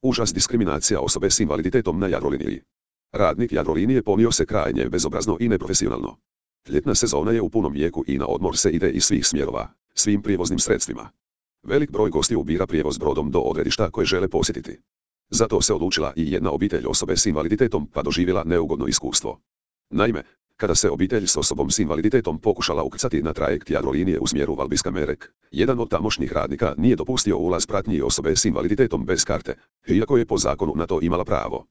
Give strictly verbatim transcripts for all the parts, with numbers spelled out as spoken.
Užas diskriminacija osobe s invaliditetom na Jadroliniji. Radnik Jadrolinije ponio se krajnje bezobrazno i neprofesionalno. Ljetna sezona je u punom jeku i na odmor se ide iz svih smjerova, svim prijevoznim sredstvima. Velik broj gostiju bira prijevoz brodom do odredišta koje žele posjetiti. Zato se odlučila i jedna obitelj osobe s invaliditetom pa doživjela neugodno iskustvo. Naime, kada se obitelj s osobom s invaliditetom pokušala ukrcati na trajekt Jadrolinije u smjeru Valbiska-Merek, jedan od tamošnjih radnika nije dopustio ulaz pratnji osobe s invaliditetom bez karte, iako je po zakonu na to imala pravo.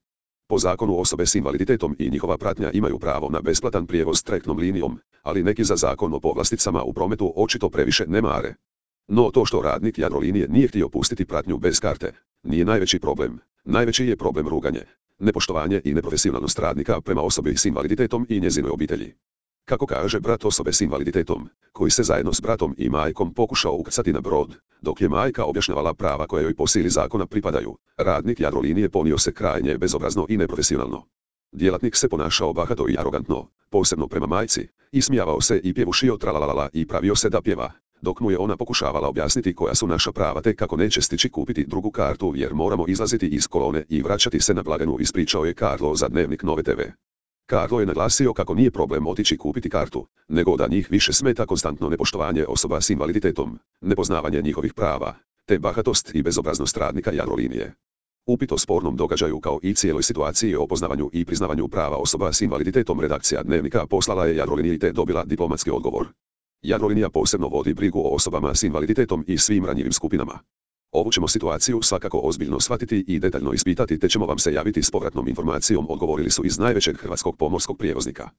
Po zakonu osobe s invaliditetom i njihova pratnja imaju pravo na besplatan prijevoz trajektnom linijom, ali neki za zakon o povlasticama u prometu očito previše ne mare. No to što radnik Jadrolinije nije htio pustiti pratnju bez karte, nije najveći problem. Najveći je problem ruganje, nepoštovanje i neprofesionalnost radnika prema osobi s invaliditetom i njezinoj obitelji. Kako kaže brat osobe s invaliditetom, koji se zajedno s bratom i majkom pokušao ukrcati na brod, dok je majka objašnjavala prava koje joj po sili zakona pripadaju, radnik Jadrolinije ponio se krajnje bezobrazno i neprofesionalno. Djelatnik se ponašao bahato i arogantno, posebno prema majci, ismijavao se i pjevušio tralalala i pravio se da pjeva, dok mu je ona pokušavala objasniti koja su naša prava te kako neće stići kupiti drugu kartu jer moramo izlaziti iz kolone i vraćati se na blagajnu, ispričao je Karlo za Dnevnik Nove te ve. Karlo je naglasio kako nije problem otići kupiti kartu, nego da njih više smeta konstantno nepoštovanje osoba s invaliditetom, nepoznavanje njihovih prava, te bahatost i bezobraznost radnika Jadrolinije. Upit o spornom događaju kao i cijeloj situaciji o poznavanju i priznavanju prava osoba s invaliditetom redakcija Dnevnika poslala je Jadroliniji te dobila diplomatski odgovor. Jadrolinija posebno vodi brigu o osobama s invaliditetom i svim ranjivim skupinama. Ovu ćemo situaciju svakako ozbiljno shvatiti i detaljno ispitati te ćemo vam se javiti s povratnom informacijom, odgovorili su iz najvećeg hrvatskog pomorskog prijevoznika.